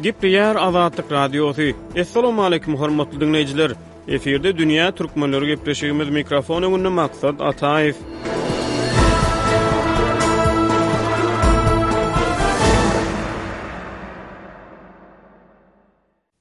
Gepleýär Azatlyk Radiosy. Assalamualaikum hormatly diňleýjiler. Efirde dünýä türkmenleri gepleşigimiz mikrofon öňünde Maksat Ataýew.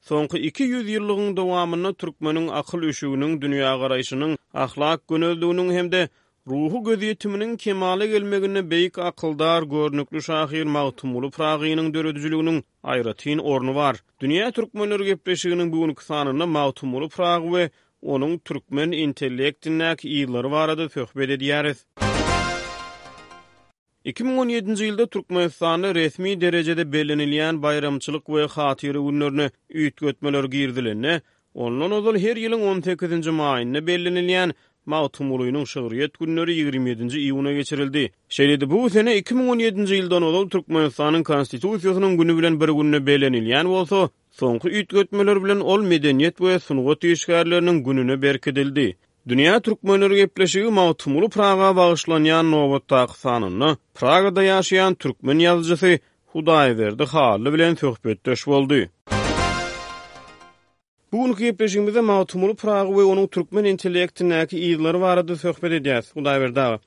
Soňky 200 ýyllygyň dowamynda türkmeniň akyl üşüginiň, dünýägaraýşynyň, ahlak gönezliginiň hem-de ruhy gözýetiminiň kemala gelmeginde beýik akyldar, görnükli şahyr Magtymguly Pyragynyň döredijiliginiň aýratyn orny bar. Dünýä türkmenleri gepleşiginiň bu günki sanynda Magtymguly Pyragy we onuň türkmen intellektindäki yzlary barada söhbet edýäris. 2017-nji ýylda Türkmenistanda resmi derejede bellenilýän baýramçylyk we hatyra günlerine üýtgetmeler girizilende, ondan ozal her ýylyň on sekizinji maýynda bellenilýän Magtymgulynyň şygryýet günleri ýigrimi ýedinji iýuna geçirildi. Şeýle-de bu sene 2017-nji ýyldan ozal Türkmenistanyň Konstitusiýasynyň güni bilen bir günde bellenilýän bolsa, soňky üýtgetmeler bilen ol Medeniýet we sungat işgärleriniň gününe berkidildi. Dünýä türkmenleri gepleşigi Magtymguly Praga bagyşlanýan nobatdaky sanynda Pragada ýaşaýan türkmen ýazyjysy Hudaýberdi Hally bilen söhbetdeş boldy. Bu günki gepleşigimizde Magtymguly Pyragy we onuň türkmen intellektindäki yzlary barada söhbet edýäs, Hudaýberdi aga.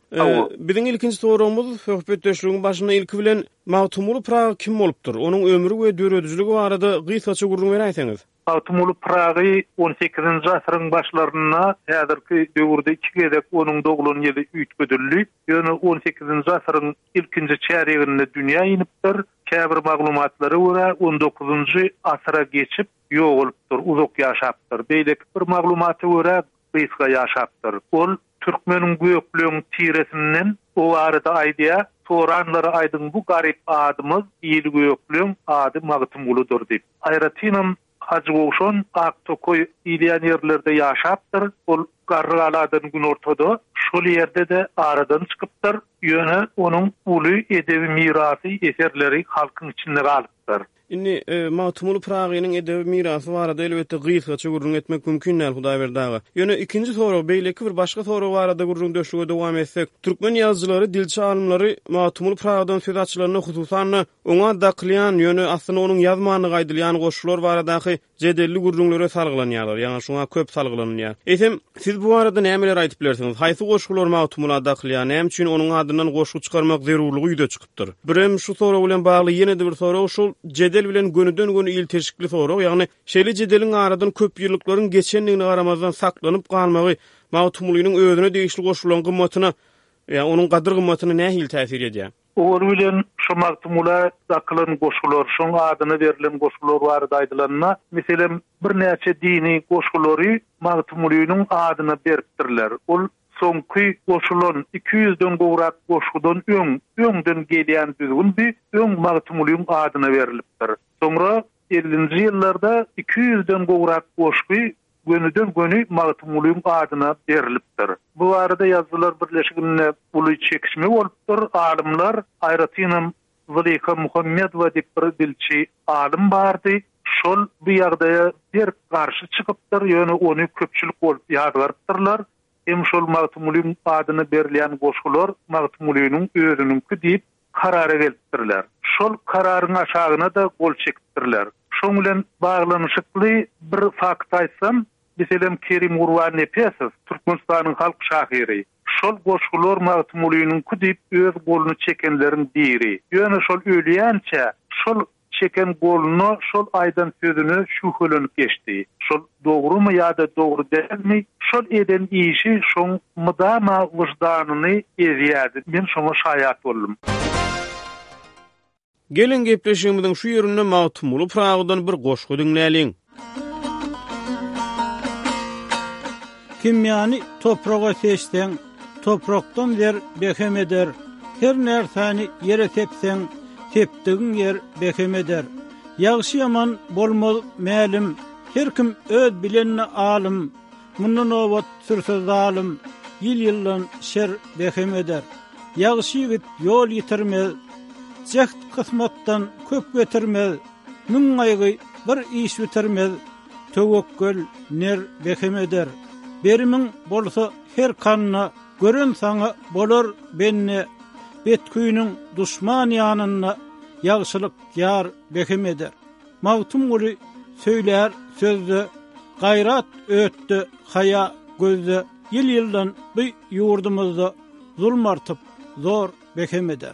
Biziň ilkinji soragymyz söhbetdeşligiň başynda ilki bilen Magtymguly Pyragy kim bolupdyr? Onuň ömri we döredijiligi barada gysgaça gürrüň beräýseňiz? Magtymguly Pyragy on sekizinji asyryň başlarynda, häzirki döwürde iki gezek onuň doglan ýyly üýtgedildi. Ýöne on sekizinji asyryň ilkinji çärýeginde dünýä inipdir. Käbir maglumatlara görä, on dokuzynjy asyra geçip ýogalypdyr, uzak ýaşapdyr. Beýleki bir maglumata görä, gysga ýaşapdyr. Ol türkmeniň gökleň tiresinden o barada aýdýar, Soranlara aýdyň bu garyp adymyz il gökleň ady Magtymguludyr diýip. Aýratynam Hajygowşan Aktokaý diýilýän ýerlerde ýaşapdyr. Ol Garrygaladan günortada, şol ýerde-de aradan çykypdyr. Ýöne onuň uly edebi mirasy, eserleri halkyň içinde galypdyr. Indi Magtymguly Pyragynyň edebi mirasy barada elbetde gysgaça gürrüň etmek mümkin däl, Hudaýberdi aga. Ýöne ikinji sorag, beýleki bir başga sorag barada gürrüňdeşlige dowam etsek, türkmen ýazyjylary, dilçi alymlary Magtymguly Pyragydan söz açylanda, hususan-da, oňa dakylýan, ýöne aslynda onuň ýazmandygy aýdylýan goşgular baradaky jedelli gürrüňlere salgylanýarlar, ýagny şuňa köp salgylanylýar. Eýsem, siz bu barada nämeleri aýdyp bilersiňiz? Haýsy goşgular Magtymgula dakylýar, näme üçin onuň adyndan goşgy çykarmak zerurlygy ýüze çykypdyr? Birem şu sorag bilen bagly ýene-de bir sorag, şol jedel bilen gönüden-göni ilteşikli sorag, ýagny şeýle jedeliň aradan köp ýyllyklaryň geçendigine garamazdan saklanyp galmagy Magtymgulynyň özüne degişli goşgularyň gymmatyna, ýa onuň gadyr-gymmatyna nähili täsir edýär? Owaly bilen şo Magtymgula dakylan goşgular, şoň adyna berlen goşgular barada aýdylanda, meselem, birnäçe dini goşgulary Magtymgulynyň adyna beripdirler. Ol soňky goşulan iki ýüzden gowrak goşgudan öň, öňden gelýän düzgündi, öň Magtymgulyň adyna berlipdir. Soňra ellinji ýyllarda iki ýüzden gowrak goşgy gönüden-göni Magtymgulyň adyna berlipdir. Bu barada Ýazyjylar birleşiginde uly çekişme bolupdyr. Alymlar, aýratynam Zylyha Muhammedowa diýip bir dilçi alym bardy. Şol bu ýagdaýa berk garşy çykypdyr, ýöne ony köpçülik bolup ýazgarypdyrlar. Hem şol Magtymgulyň adyna berilýän goşgular Magtymgulynyň özüniňki diýip karara gelipdirler. Şol kararyň aşagyna-da gol çekipdirler. Şoň bilen baglanyşykly bir fakt aýtsam, meselem, Kerim Gurbannepesow, Türkmenistanyň halk şahyry, şol goşgular Magtymgulynyňky diýip öz goluny çekenleriň biri. Ýöne şol ölýänçä şol çeken goluna şol aýdan sözüne şübhelenip geçdi. Şol dogrumy ýa-da dogry dälmi, şol eden işi şoň mydama wyždanyny ezýärdi. Men şoňa şaýat boldum. Geliň gepleşigimiziň şu ýerinde Magtymguly Pyragydan bir goşgy diňläliň. Kimýany topraga seçseň, toprakdan zer behem eder, Her närsäni ýere sepseň, sepdigiň ýer behem eder. Ýagşy-ýaman bolmaz mälim, her kim öz bilenine alym, Munda nobat sürse zalym, ýyl-ýyldan şer behem eder. Ýagşy ýigit ýol ýitirmez, jäht kysmatdan köp getirmez, Müň gaýgy bir iş bitirmez, Töwekgel ner behem eder. Berimiň bolsa her kanda, Gören saňa bolar bende, Betküýnüň duşman ýanynda, Ýagşylyk ýar behem eder. Magtymguly söýlär sözde, Gaýrat ötde, haýa gözde, Ýyl-ýyldan bu ýurdumyzda Zulum artyp, zor behem eder.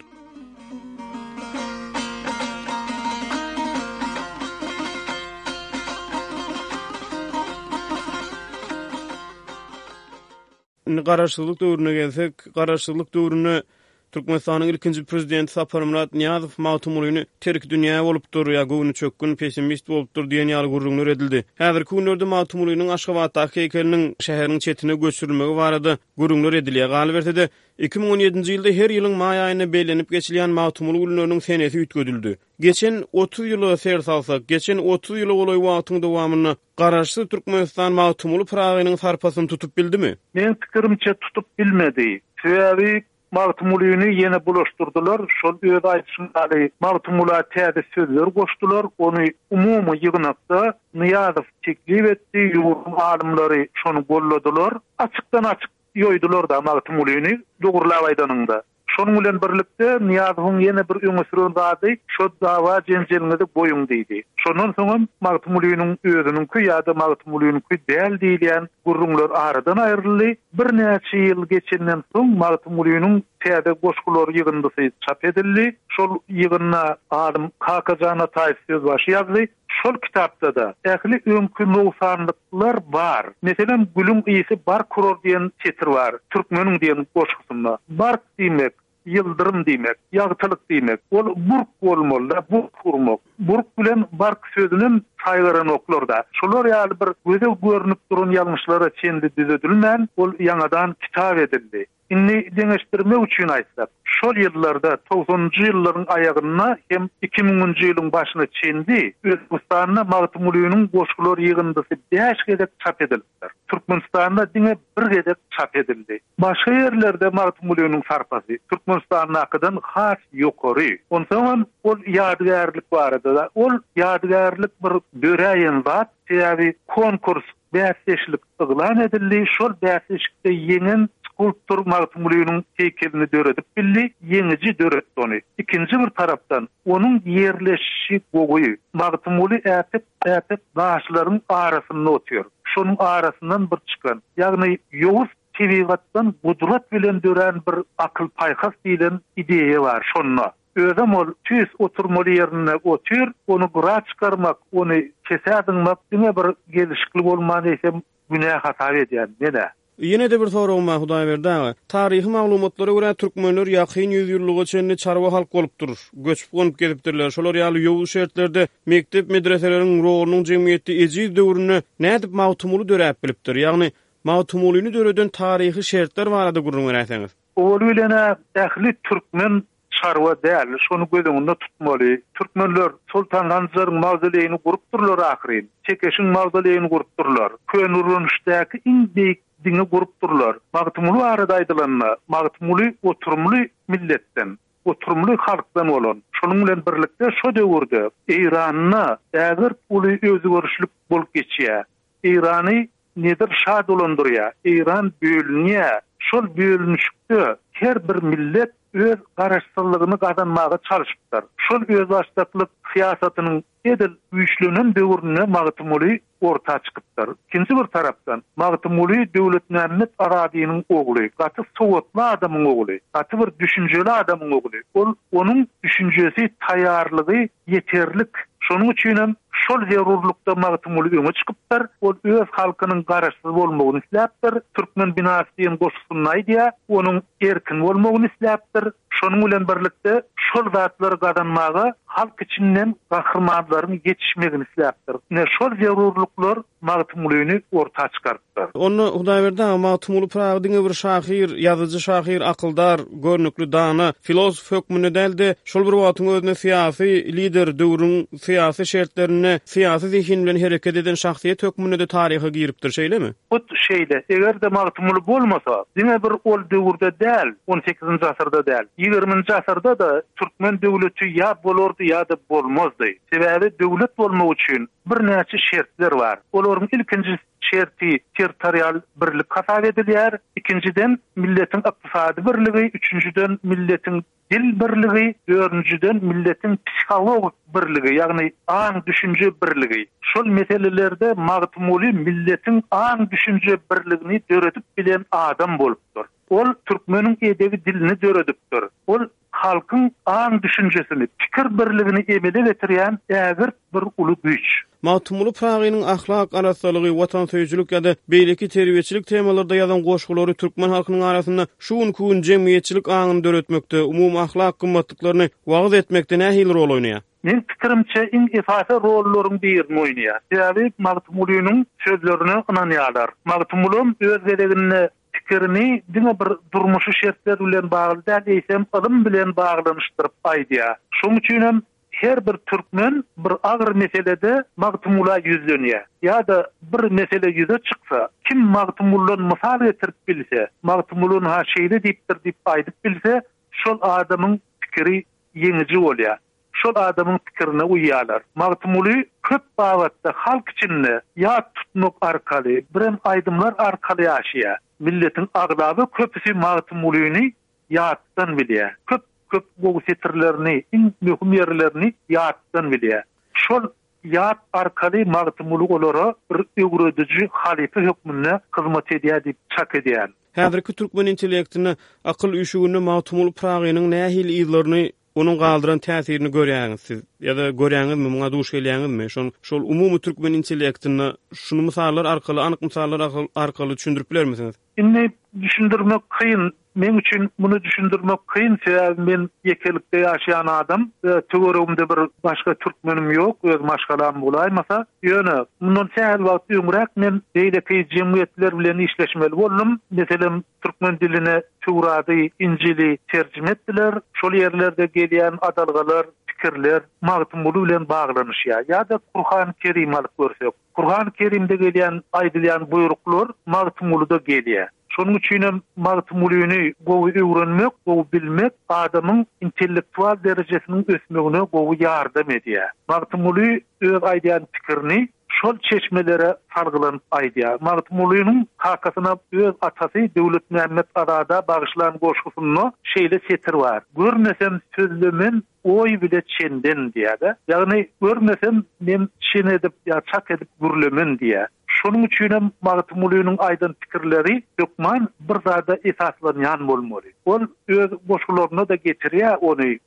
Indi Garaşsyzlyk döwrüne gelsek, Garaşsyzlyk döwründe Türkmenistanyň ilkinji prezidenti Saparmyrat Nyýazow Magtymgulyny terkidünýä bolupdyr ýa göwnüçökgün, pessimist bolupdyr diýen ýaly gürrüňler edildi. Häzirki günlerde Magtymgulynyň Aşgabatdaky heýkeliniň şäheriň çetine göçürilmegi barada gürrüňler edilýär. Galyberse-de, 2017-nji ýylda her ýylyň maý aýynda bellenip geçilýän Magtymguly günleriniň senesi üýtgedildi. Geçen 30 ýyla ser salsak, geçen 30 ýyla golaý wagtyň dowamynda Garaşsyz Türkmenistan Magtymguly Pyragynyň sarpasyny tutup bildimi? Meň pikirimçe tutup bilmedi. Sebäbi Magtymgulyny ýene bulaşdyrdylar, şol öz aýdyşyň ýaly Magtymgula täze sözler goşdular, ony umumy ýygnakda Nyýazow teklip etdi, ýurduň alymlary şony golladylar. Açykdan-açyk ýoýdular-da Magtymgulyny, dogrulap aýdanyňda. Şonuň bilen birlikde, Nyýazowyň ýene bir öňe süren zady, şo dawa-jenjeliňizi goýuň diýdi. Şondan soňam Magtymgulynyň özüniňki ýa-da Magtymgulynyňky däl diýilýän gürrüňler aradan aýryldy. Birnäçe ýyl geçenden soň Magtymgulynyň täze goşgular ýygyndysy çap edildi. Şol ýygynda alym Kakajan Ataýew sözbaşy ýazdy. Şol kitapda-da ähli öňki nogsanlyklar bar. Meselem, Gülüň ysy bark urar diýen setir bar, Türkmeniň diýen goşgusynda. Bark diýmek, ýyldyrym diýmek, ýagtylyk diýmek. Ol burk bolmaly-da, burk urmak. Burk bilen bark sözünem saýgaranoklar-da. Şular ýaly bir göze görnüp duran ýalňyşlara çenli düzedilmän, ol ýaňadan kitap edildi. Indi deňeşdirmek üçin aýtsak, şol ýyllarda, togsanynjy ýyllaryň aýagynda hem iki müňünji ýylyň başyna çenli Özbegistanda Magtymgulynyň goşgular ýygyndysy bäş gezek çap edilipdir. Türkmenistanda diňe bir gezek çap edildi. Başga ýerlerde Magtymgulynyň sarpasy Türkmenistandakydan has ýokary. Onsoňam ol ýadygärlik barada-da, ol ýadygärlik bir döräýen zat, sebäbi konkurs Bäsdeşlik yglan edildi, şol bäsleşikde ýeňen skulptor Magtymgulynyň heýkelini döredip bildi, ýeňiji döretdi ony. Ikinji bir tarapdan, onuň ýerleşişi gowy. Magtymguly äpet äpet daşlaryň arasynda otyr. Şonuň arasyndan bir çykan, ýagny ýowuz tebigatdan gudrat bilen dörän bir akyl-paýhas diýlen ideýa bar şonda. Özem ol tüýs oturmaly ýerinde otyr, ony gyra çykarmak, ony kesä zyňmak diňe bir gelşikli bolman eýsem günä hasap edýän men-ä. Ýene-de bir soragym bar Hudaýberdi aga. Taryhy maglumatlara görä türkmenler ýakyn ýüzýyllyga çenli çarwa halk bolupdyr. Göçüp-gonup gezipdirler. Şolar ýaly ýowuz şertlerde mekdep-medreseleriň rolunyň jemgyýetde ejiz döwründe nädip Magtymguly döräp bilipdir? Ýagny Magtymgulyny döreden taryhy şertler barada gürrüň beräýseňiz. Owaly bilen-ä ähli türkmen çarwa däl, şony göz öňünde tutmaly. Türkmenler Soltan Sanjaryň mawzoleýini gurupdyrlar ahyryn. Tekeşiň mawzoleýini gurupdyrlar. Köneürgençdäki iň beýik diňi gurupdyrlar. Magtymguly barada aýdylanda, Magtymguly oturymly milletden, oturymly halkdan bolan. Şonuň bilen birlikde şo döwürde Eýranda ägirt uly özgerişlik bolup geçýär. Eýrany Nedir şa dolandyrýar. Eýran bölünýär. Şol bölünişikde her bir millet öz garaşsyzlygyny gazanmaga çalşypdyr. Şol özbaşdaklyk syýasatynyň edil güýçlenen döwründe Magtymguly orta çykypdyr. Ikinji bir tarapdan, Magtymguly Döwletmämmet Azadynyň ogly, gaty sowatly adamyň ogly, gaty bir düşünjeli adamyň ogly. Ol onuň düşünjesi, taýýarlygy ýeterlik. Şonuň üçinem şol zerurlykda Magtymguly öňe çykypdyr. Ol öz halkynyň garaşsyz bolmagyny isläpdir. Türkmen binasy diýen goşgusynda aýdýar, onuň erkin bolmagyny isläpdir. Şonuň bilen birlikde şol zatlary gazanmaga halk içinden gahrymanlaryň ýetişmegini isläpdir. Ine şol zerurlyklar Magtymgulyny orta çykarypdyr. Onda, Hudaýberdi aga, Magtymguly Pyragy diňe bir şahyr, ýazyjy-şahyr, akyldar, görnükli dana, filosof hökmünde däl-de, şol bir wagtyň özünde syýasy lider, döwrüň syýasy şertlerinde syýasy zehin bilen hereket eden şahsyýet hökmünde-de taryha giripdir, şeýlemi? Hut şeýle. Eger-de Magtymguly bolmasa, diňe bir ol döwürde däl, on sekizinji asyrda däl, ýigriminji asyrda-da türkmen döwleti ýa bolardy ýa-da bolmazdy. Sebäbi döwlet bolmak üçin Birnäçe şertler bar. Olaryň ilkinji şerti territorial birlik hasap edilýär. Ikinjiden, milletiň ykdysady birligi, üçünjiden, milletiň dil birligi, dördünjiden, milletiň psihologik birligi, ýagny aň-düşünje birligi. Şol meselelerde Magtymguly milletiň aň-düşünje birligini döredip bilen adam bolupdyr. Ol türkmeniň edebi dilini döredipdir. Ol halkyň aň-düşünjesini, pikir birligini emele getirýän ägirt bir uly güýç. Magtymguly Pyragynyň ahlak arassalygy, watansöýüjilik ýa-da beýleki terbiýeçilik temalarda ýazan goşgulary türkmen halkynyň arasynda şu günki gün jemgyýetçilik aňyny döretmekde, umumy ahlak gymmatlyklaryny wagyz etmekde nähili rol oýnaýar? Meň pikirimçe, iň esasy rollaryň birini oýnaýar. Sebäbi Magtymgulynyň sözlerine ynanýarlar. Magtymgulam öz gezeginde pikirini diňe bir durmuşy şertler bilen bagly däl, eýsem ylym bilen baglanyşdyryp aýdýar. Şonuň üçin hem her bir türkmen bir agyr meselede Magtymgula ýüzlenýär. Ýa-da bir mesele ýüze çyksa, kim Magtymguldan mysal getirip bilse, Magtymguly ynha şeýle diýipdir diýip aýdyp bilse, şol adamyň pikiri ýeňiji bolýar. Şol adamyň pikirine uýýarlar. Magtymguly köp babatda halk içinde ýat tutmak arkaly, birem aýdymlar arkaly ýaşaýar. Milletiň aglaba köpüsi Magtymgulyny ýatdan bilýär. Köp köp gowy setirlerini, iň möhüm ýerlerini ýatdan bilýär. Şol ýat arkaly Magtymguly olara bir öwrediji halypa hökmünde hyzmat edýär diýip çak edýän. Häzirki türkmen intellektinde, akyl üşüginde Magtymguly Pyragynyň nähili yzlaryny Onuň galdyran täsirini görýäňiz siz ýa-da görýäňizmi, muňa duş gelýäňizmi? Şon şol umumy türkmen intellektinde şuny mysallar arkaly, anyk mysallar arkaly düşündirip bilermisiňiz? Indi düşündirmek kyn. Meň üçin muny düşündirmek kyn, sebäbi men ýekelikde ýaşaýan adam. Töweregimde bir başga türkmenim ýok, öz maşgalam bolaýmasa. Ýöne mundan sähel wagt öňräk men beýleki jemgyýetler bilen işleşmeli boldum. Meselem, Türkmen diline Töwrady, Injili terjime etdiler. Şol ýerlerde gelýän adalgalar, pikirler Magtymguly bilen baglanyşýar. Ýa-da Kurhany Kerimi alyp görsek. Kurhany Kerimde gelýän, aýdylýan buýruklar Magtymguluda gelýär. Şonuň üçinem Magtymgulyny gowy öwrenmek, gowy bilmek adamyň intellektual derejesiniň ösmegine gowy ýardam edýär. Magtymguly öz aýdýan pikirini şol çeşmelere salgylanyp aýdýar. Magtymgulynyň kakasyna öz atasy Döwletmämmet Azada bagyşlan goşgusynda şeýle setir bar, Görmesem sözlemen oý bile çenden diýýär-de. Ýagny görmesem men çen edip ýa çak edip gürlemen diýýär. Şonuň üçinem Magtymgulynyň aýdan pikirleri hökman bir zada esaslanýan bolmaly. Ol öz goşgularynda-da getirýär ony.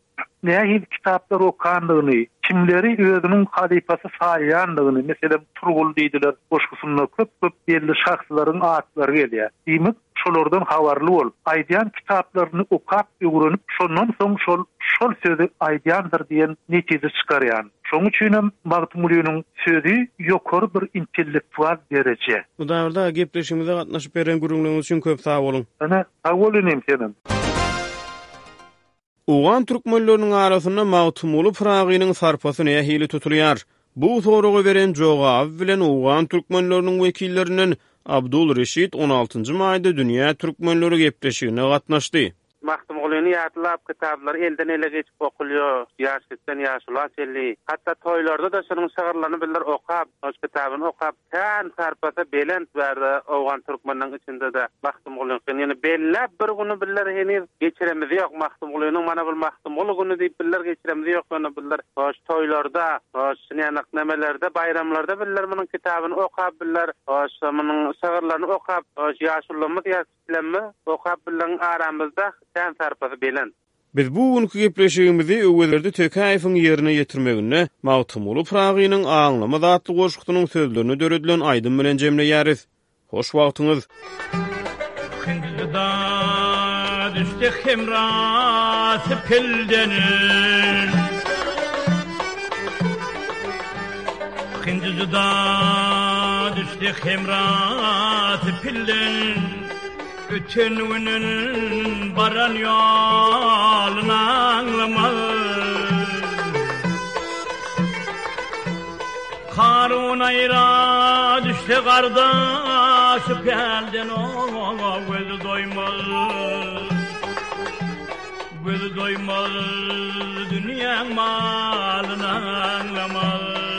Nähili kitaplar okandygyny, kimleri özüniň halypasy saýýandygyny, meselem, Turgul diýdiler goşgusynda köp-köp belli şahslaryň atlary gelýär. Diýmek, şolardan habarly bolup, aýdýan kitaplaryny okap, öwrenip, şondan soň şol şol sözi aýdýandyr diýen netije çykarýan. Şonuň üçinem Magtymgulynyň sözi ýokary bir intellektual dereje. Hudaýberdi aga, gepleşigimize gatnaşyp beren gürrüňleriňiz üçin köp sag boluň. Ine, sag bol inim senem. Owgan türkmenleriniň arasynda Magtymguly Pyragynyň sarpasy nähili tutulýar? Bu soraga beren jogaby bilen owgan türkmenleriniň wekillerinden Abdul Reşit on altynjy maýda Dünýä türkmenleri gepleşigine gatnaşdy. Magtymgulyny ýatlap kitaplar elden ele geçip okulýar, ýaş kiçiden ýaşula çenli. Hatda toýlarda-da şunuň şygyrlaryny bizler okap, şoň kitabyny okap, Kän sarpasy belent bärde owgan türkmeniniň içinde-de Magtymgulyňkyny ýöne belläp bir güni bizler heniz geçiremiz ýok. Magtymgulynyň mana bul Magtymguly güni diýip bizler geçiremiz ýok ýöne bizler hoş toýlarda, hoş şunýanak nemelerde, baýramlarda bizler munuň kitabyny okap bizler hoş munuň şygyrlaryny okap hoş ýaşulymyz ýa kiçilerimiz okap bizleriň aramyzda kän sarpasy belent. Biz bu günki gepleşigimizi Öwezberdi Tekäýewiň ýerine ýetirmeginde Magtymguly Pyragynyň Aňlamaz atly goşgusynyň sözlerine döredilen aýdym bilen jemleýäris. Hoş wagtyňyz! Hindida düşdi hemrasy pilden Hindida düşdi hemrasy pilden Öten günün baran ýolun aňlamaz. Karun aýra düşse gardaşy pälden oňa gözi doýmaz. Gözi doýmaz dünýäň malyny aňlamaz.